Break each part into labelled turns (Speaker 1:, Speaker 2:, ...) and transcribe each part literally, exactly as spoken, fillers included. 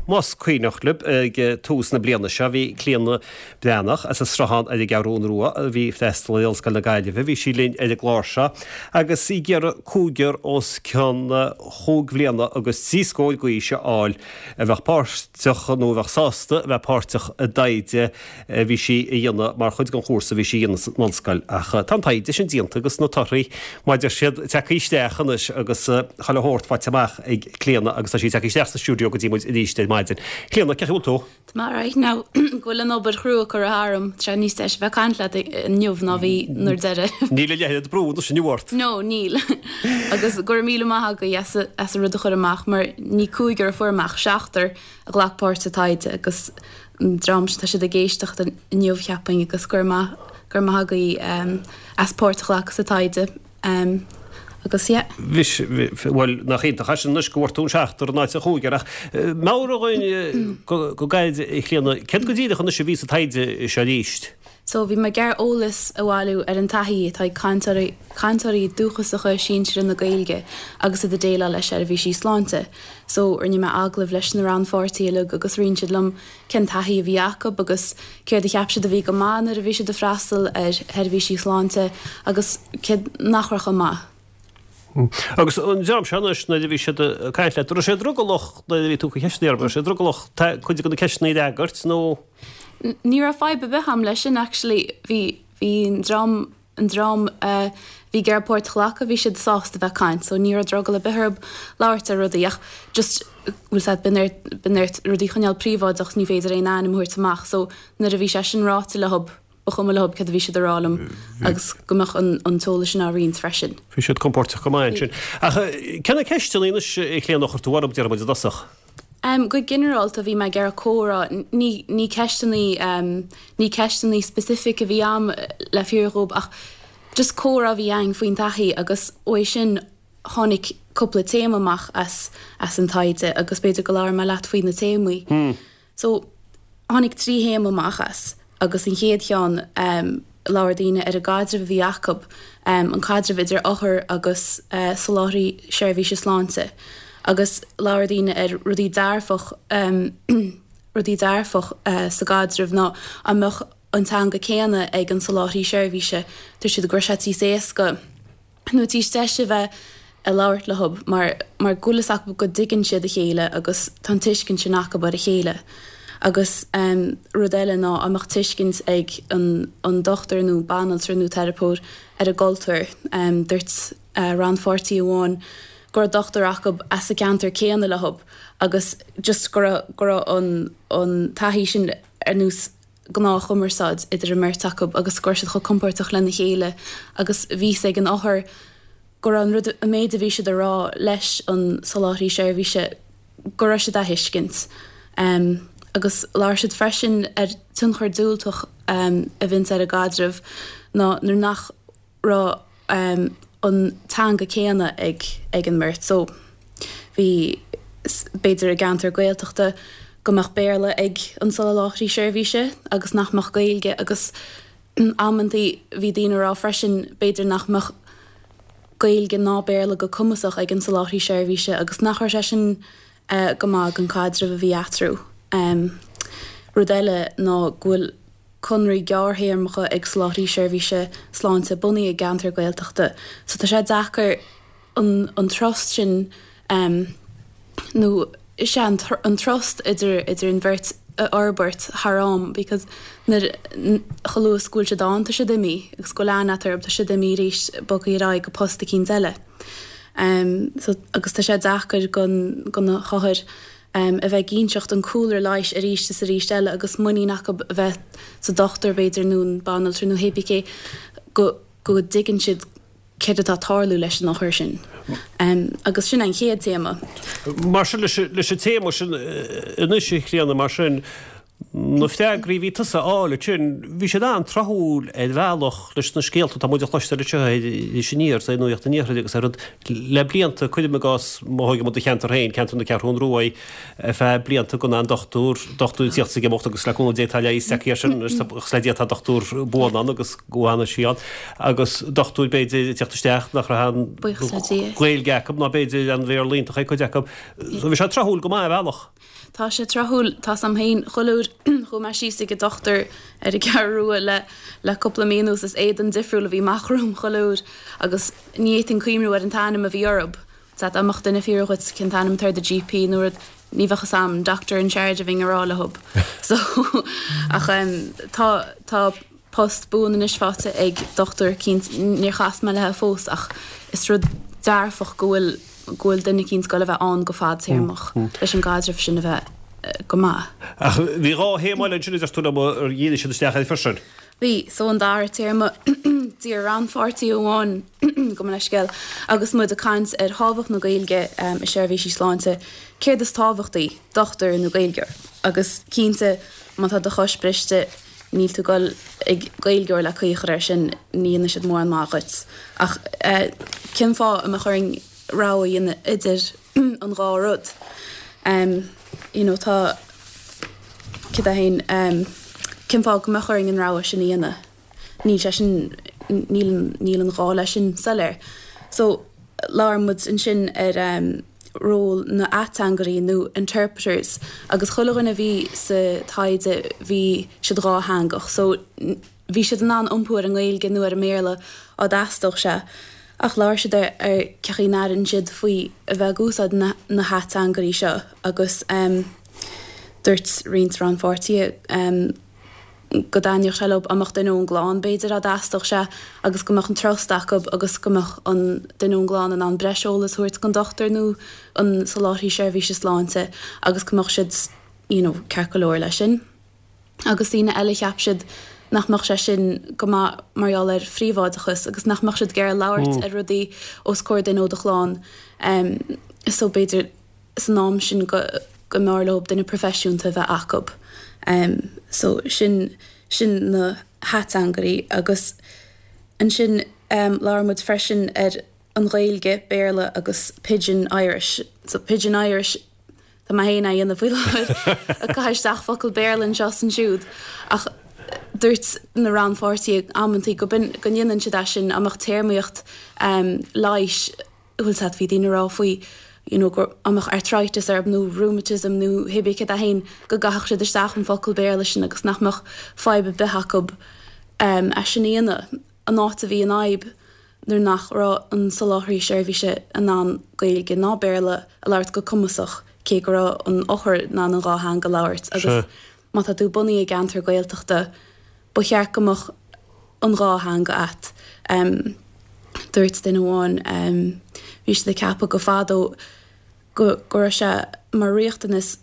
Speaker 1: Más cuimhneach libh ag tús na bliana seo bhí Clíona Breathnach as an Sruthán ar an gCeathrú Rua a bhí ag freastal ar Ollscoil na Gaillimhe, bhí sí linn ar an gclár seo agus í ag iarraidh cúigear os cionn chúig bhliana agus trí scór d'aois a fháil a bheadh páirteach nó a bheadh sásta a bheith páirteach i dtaighde a bhí sí a dhéanamh mar chuid den chúrsa a bhí sí a dhéanamh san ollscoil. Ach tá an taighde sin déanta agus na torthaí mar a deir siad tagtha isteach anois agus chuile shórt faighte amach ag Clíona agus tá sí tagtha isteach sa stiúideo go dtí muid arís ar maidin. Clíona, cén chaoi a bhfuil tú?
Speaker 2: Tá mé alright now go bhfuil an obair chrua curtha tharm, tá sé níos deise bheith ag caint leat inniu ná bhí nuair deireadh.
Speaker 1: Níl a leithéid brú anois inniu ort.
Speaker 2: No, níl. Agus go raibh míle maith agaibh as as an rud a chur amach mar ní cúigear a fuair mé ach seachtar a ghlac páirt sa taighde agus an dream sin tá siad ag éisteacht inniu cheapfainn agus go raibh maith go raibh maith agaibh as páirt a ghlacadh sa taighde. Um, agus yeah.
Speaker 1: Bhis, bhuel, nach iontach é sin anois go bhfuair tú an seachtar in áit an chúigear ach meabhraigh dhúinn go gairid a Chlíona, céard go díreach anois a bhí sa taighde seo arís?
Speaker 2: So bhí mé ag iarraidh eolas a bhailiú ar an taithí atá ag cainteoirí cainteoirí dúchasacha sinseartha na Gaeilge agus iad ag déileáil le seirbhísí sláinte. So rinne mé agallamh leis na rannpháirtithe uilig agus roinn siad liom cén taithí a bhí acu agus céard a cheap siad a bhí go maith nuair a bhí siad ag freastal ar sheirbhísí sláinte agus céard nach raibh chomh maith.
Speaker 1: Agus an dream seo anois nuair a bhí siad ag caint leat, raibh sé drogallach nuair a bhí tú ag cur ceisteanna orthu, raibh sé drogallach cuid de na ceisteanna a fhreagairt nó?
Speaker 2: Ní raibh fadhb ar bith agam leis sin actually. Bhí bhí an dream an dream a bhí ag iarraidh páirt a ghlacadh, bhí siad sásta bheith ag caint so ní raibh drogall ar bith orthu labhairt ar rudaí ach just bhfuil 's a'd bíonn ort bíonn ort rudaí a choinneáil príobháideach ní féidir aon ainm a thabhairt amach so nuair a bhí sé sin ráite leo ba chuma leo céard a bhí siad a rá liom agus go mbeadh an t-eolas sin á roinnt freisin.
Speaker 1: Bhí siad compordach go maith ansin. Ach cé na ceisteanna anois a Chlíona a chuir tú orthu, déarfaidh muid i dtosach?
Speaker 2: Um, go ginearálta bhí mé ag iarraidh comhrá, ní, ní ceisteanna, ní ceisteanna specific a bhí a'm le fírinne dhaoib ach just comhrá a bhí againn faoin taithí agus uaidh sin tháinig cúpla téama amach as, as an taighde agus b'fhéidir go labhróidh mé leat faoi na téamaí. Hmm. So tháinig trí théama amach as. Agus an chéad cheann, labhair daoine ar an gcaidreamh a bhí acu, an caidreamh idir othar agus soláthraí seirbhíse sláinte. Agus labhair daoine ar rudaí dearfach, rudaí dearfach sa gcaidreamh ná an mbeadh an teanga céanna ag an soláthraí seirbhíse, dúirt siad go raibh sé níos éasca. nó níos deise a bheith ag labhairt leo mar mar go bhfuil fhios acu go dtuigeann siad a chéile agus tá an tuiscint sin acu ar a chéile. Agus rud eile ná an mbeadh tuiscint ag an an dochtúir nó banaltra nó teiripeoir ar an gcultúr. Dúirt rannpháirtí amháin go raibh dochtúir acu as an gceantar céanna leo agus just go raibh go raibh an an taithí sin ar nós gnáthchumarsáid idir an mbeirt acu agus go raibh siad chomh compordach lena chéile agus bhí fhios ag an othar go raibh an rud, an méid a bhí siad a rá leis an soláthraí seirbhíse, go raibh siad á thuiscint. Agus labhair siad freisin ar tionchar diúltach a bhíonns ar an gcaidreamh ná nuair nach raibh an teanga céanna ag ag an mbeirt. So bhí, b'fhéidir i gceantar Gaeltachta go mbeadh Béarla ag an soláthraí seirbhíse agus nach mbeadh Gaeilge agus amantaí bhí daoine ag rá freisin b'fhéidir nach mbeadh Gaeilge ná Béarla go cumasach ag an soláthraí seirbhíse agus nach raibh sé sin go maith don chaidreamh a bhí eatarthu. Rud eile ná go bhfuil conraí gearrthéarmacha ag soláthraí seirbhíse sláinte bunaithe i gceantar Gaeltachta so tá sé deacair an an trust sin nó is ea an trust idir idir an bheirt a fhorbairt thar am because nuair chomh luath is go bhfuil siad ann tá siad imithe agus go bhfuil aithne agat orthu tá siad imithe arís bogtha ar aghaidh go post eicínt eile. So agus tá sé deacair gon go na hothair a bheith ag inseacht an cúlra leighis arís is arís eile agus muinín acu a bheith sa dochtúir b'fhéidir nó an banaltra nó hé bí cé go go dtuigeann siad céard atá ag tarlú leis an othar sin. Agus sin an chéad téama.
Speaker 1: Mar sin leis leis an téama sin anois a Chlíona mar sin Na freagraí a bhí tusa a fháil ansin, bhí siad an-tráthúil ar bhealach leis na scéalta atá muid a chloisteáil anseo ar Iris Aniar, is ar Nuacht an Iarthair agus ar rud le blianta, cuirim i gcás, má thógann muid do cheantar féin, ceantar na Ceathrún Rua, ar feadh blianta gan aon dochtúir, dochtúir ag tíocht is ag imeacht agus le cúnamh Dé tá leigheas acu air sin agus le Dia tá dochtúir buan ann agus go bhfana sí ann agus dochtúir b'fhéidir ag tíocht isteach nach raibh aon Ghaeilge acu ná b'fhéidir an Bhéarla iontach ag cuid acu. So bhí sé tráthúil go maith ar bhealach.
Speaker 2: Tá sé tráthúil, tá 's a'm féin, chuile uair chuaigh mé síos ag an dochtúir ar an gCeathrú Rua le le cúpla mí anuas is éadan difriúil a bhí amach romham chuile uair agus ní fhéadfainn cuimhniú ar an t-ainm a bhí orthub. Sea, dá mbeadh duine ag fiafraí dhuit cén t-ainm atá ar do GP nó rud, ní bheadh 'fhios a'm, doctor in charge a bheinn a rá leothub. So, ach em tá tá post buan anois faighte ag dochtúir eicínt, níor chas mé léithe fós ach is rud dearfach go bhfuil go bhfuil duine eicínt ag goil a bheith ann go fadtéarmach leis an gcaidreamh sin a bheith go maith.
Speaker 1: Ach bhí dhá théama eile ansin a deir tú liom ar dhírigh siad isteach air freisin.
Speaker 2: Bhí, so an dara téarma, d'iarr rannpháirtí amháin, gabh mo leithscéal, agus muid ag caint ar thábhacht na Gaeilge i seirbhísí sláinte, céard is tábhachtaí, dochtúir nó Gaeilgeoir? Agus cinnte, má tá do chois briste, níl tú ag goil ag Gaeilgeoir le caoi a chur air sin, ní dhéanfaidh siad mórán maith dhuit. Ach cén fáth a mbeadh orainn rogha a dhéanamh idir an dhá rud? You know, tá, céard é féin, cén fáth go mbeadh orainn an rogha sin a dhéanamh? Níl sé sin, níl an, níl an gá leis sin soiléir. So, labhair muid ansin ar ról na n-ateangairí nó interpreters agus chuile dhuine a bhí sa taighde bhí siad dhátheangach so bhí siad in ann iompú ar an nGaeilge nó ar an mBéarla á dteastódh sé ach labhair siad ar ar cé chaoi a n-airíonn siad faoi a bheith ag úsáid na na hateangairí seo agus dúirt roinnt rannpháirtithe go dtaitneodh sé leo dá mbeadh duine ón gclann b'fhéidir dá dteastódh sé agus go mbeadh an trust acu agus go mbeadh an duine ón gclann in ann breis eolas a thabhairt don dochtúir nó an soláthraí seirbhíse sláinte agus go mbeadh siad you know ceart go leor leis sin. Agus daoine eile cheap siad nach mbeadh sé sin go maith mar gheall ar phríobháideachas agus nach mbeadh siad ag iarraidh labhairt ar rudaí os comhair duine ó do chlann so b'fhéidir san am sin go go mb'fhearr leo duine proifisiúnta a bheith acu. So sin sin na hateangairí agus ansin labhair muid freisin ar an Ghaeilge, Béarla agus Pidgin Irish. So Pidgin Irish tá mé féin á dhéanamh faoi láthair ag caitheamh isteach focal Béarla anseo is ansiúd ach dúirt na rannpháirtithe amantaí go b'in go ndéanann siad é sin dá mbeadh téarmaíocht leighis bhfuil 's a'd bhí daoine ag rá faoi you know go dá mbeadh arthritis orthu nó rheumatism nó hé bith céard é féin go gcaithfeadh siad isteach an focal Béarla sin agus nach mbeadh fadhb ar bith acu é sin a dhéanamh. An áit a bhí an fhadhb nuair nach raibh an soláthraí seirbhíse in ann Gaeilge ná Béarla a labhairt go cumasach cé go raibh an othar in ann an dhá theanga a labhairt agus má tá tú bunaithe i gceantar Gaeltachta ba cheart go mbeadh an dhá theanga a't. Dúirt duine amháin, bhí siad ag ceapadh go fadó go go raibh sé mar riachtanas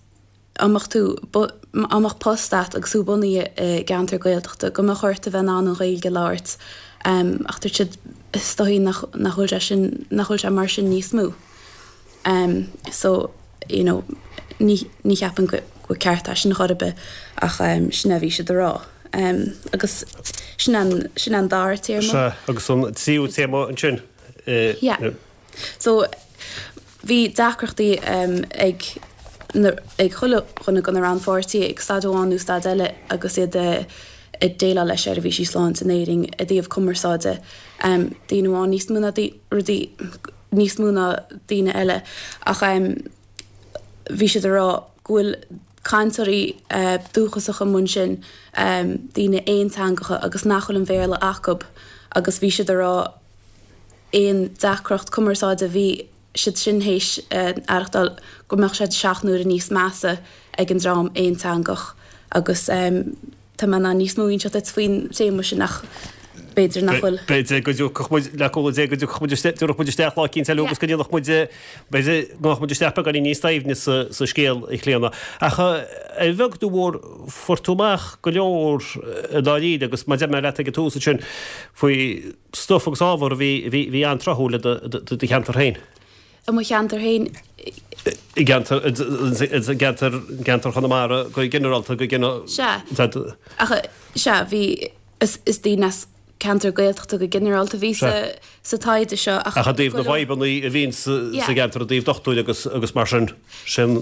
Speaker 2: dá mbeadh tú, dá mbeadh post a't agus tú bunaithe i gceantar Gaeltachta, go mbeadh ort a bheith in ann an Ghaeilge a labhairt. Ach dúirt siad, is dóigh nach nach bhfuil sé sin, nach bhfuil sé mar sin níos mó. So, you know, ní ní cheapaim go go ceart é sin chor ar bith ach sin é a bhí siad a rá. Agus sin an sin an dara téarma.
Speaker 1: Sea, agus an tríú téarma ansin.
Speaker 2: Yeah. So bhí deacrachtaí ag na ag chuile dhuine de na rannpháirtithe ag staid amháin nó staid eile agus iad ag déileáil le seirbhísí sláinte in Éirinn i dtaobh cumarsáide. Daoine amháin níos mó ná rudaí níos mó ná daoine eile ach bhí siad ag rá go bhfuil cainteoirí dúchasacha amuigh ansin, daoine aonteangacha agus nach bhfuil an Bhéarla acu agus bhí siad ag rá aon deacracht cumarsáide a bhí siad sin théis aireachtáil go mbeadh sé seacht n-uaire níos measa ag an dream aonteangach agus tá mé in ann níos mó a inseacht duit faoin téama sin ach b'fhéidir nach bhfuil.
Speaker 1: B'fhéidir go dtiocfadh muid, le cúnamh Dé, go dtiocfadh muid isteach, dtiocfadh muid isteach lá eicínt eile agus go ndéanfadh muid, b'fhéidir, go ngabhfadh muid isteach beagáinín níos doimhne sa, sa scéal, a Chlíona. Ach ar bheag nó mhór, fuair tú amach go leor i ndáiríre agus mar a deir mé leat ag an tús ansin faoi stuif agus ábhar a bhí, a bhí, a bhí an-tráthúil do, do, do cheantar féin.
Speaker 2: i mo cheantar féin.
Speaker 1: I gceantar i gceantar gceantar Chonamara go ginearálta go gine.
Speaker 2: Sea. Ach sea, bhí is is daoine as ceantar Gaeltachta go ginearálta a bhí sa sa taighde seo
Speaker 1: ach Ach i dtaobh na bhfadhbanna a bhíonn sa sa gceantar i dtaobh dochtúirí agus agus mar sin sin.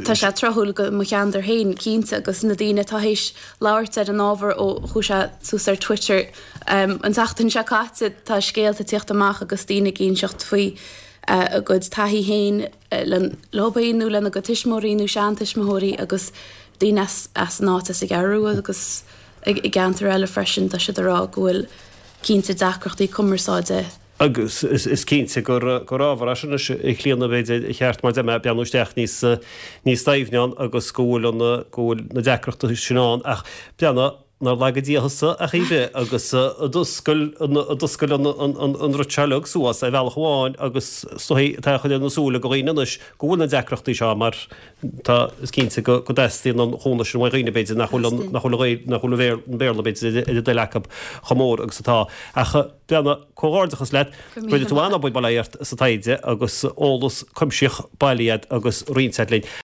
Speaker 2: Tá sé tráthúil go mo cheantar féin cinnte agus na daoine atá théis labhairt ar an ábhar ó chuaigh sé suas ar Twitter um, an tseachtain seo caite tá scéalta ag tíocht amach agus daoine ag inseacht faoi a gcuid taithí féin leo féin nó lena gcuid tuismitheoirí nó seantuismitheoirí agus daoine as as an áit as an gCeathrú Rua agus i gceantar eile freisin tá siad ag rá go bhfuil cinnte deacrachtaí cumarsáide.
Speaker 1: Agus is cinnte gur gur ábhar é sin anois a Chlíona b'fhéidir ar cheart mar a deir mé breathnú isteach níos níos doimhne ann agus go bhfuil an go bhfuil na deacrachtaí sin ann ach breathnaigh nár laga Dia thusa a Chaoimhe agus a d'oscail a d'oscail an an rud seo uilig suas ar bhealach amháin agus is dóigh atá á chur ar na súile go dhaoine anois go bhfuil na deacrachtaí seo mar tá is cinnte go go dteastaíonn an chúnamh sin uaidh dhaoine b'fhéidir nach bhfuil an nach bhfuil an nach bhfuil an Béarla b'fhéidir ar a dtoil acu chomh mór agus atá. Ach breathnaigh, comhghairdeachas leat, rinne tú an-obair bail ó Dhia ort sa taighde agus eolas cuimsitheach bailithe agat agus roinnte agat linn.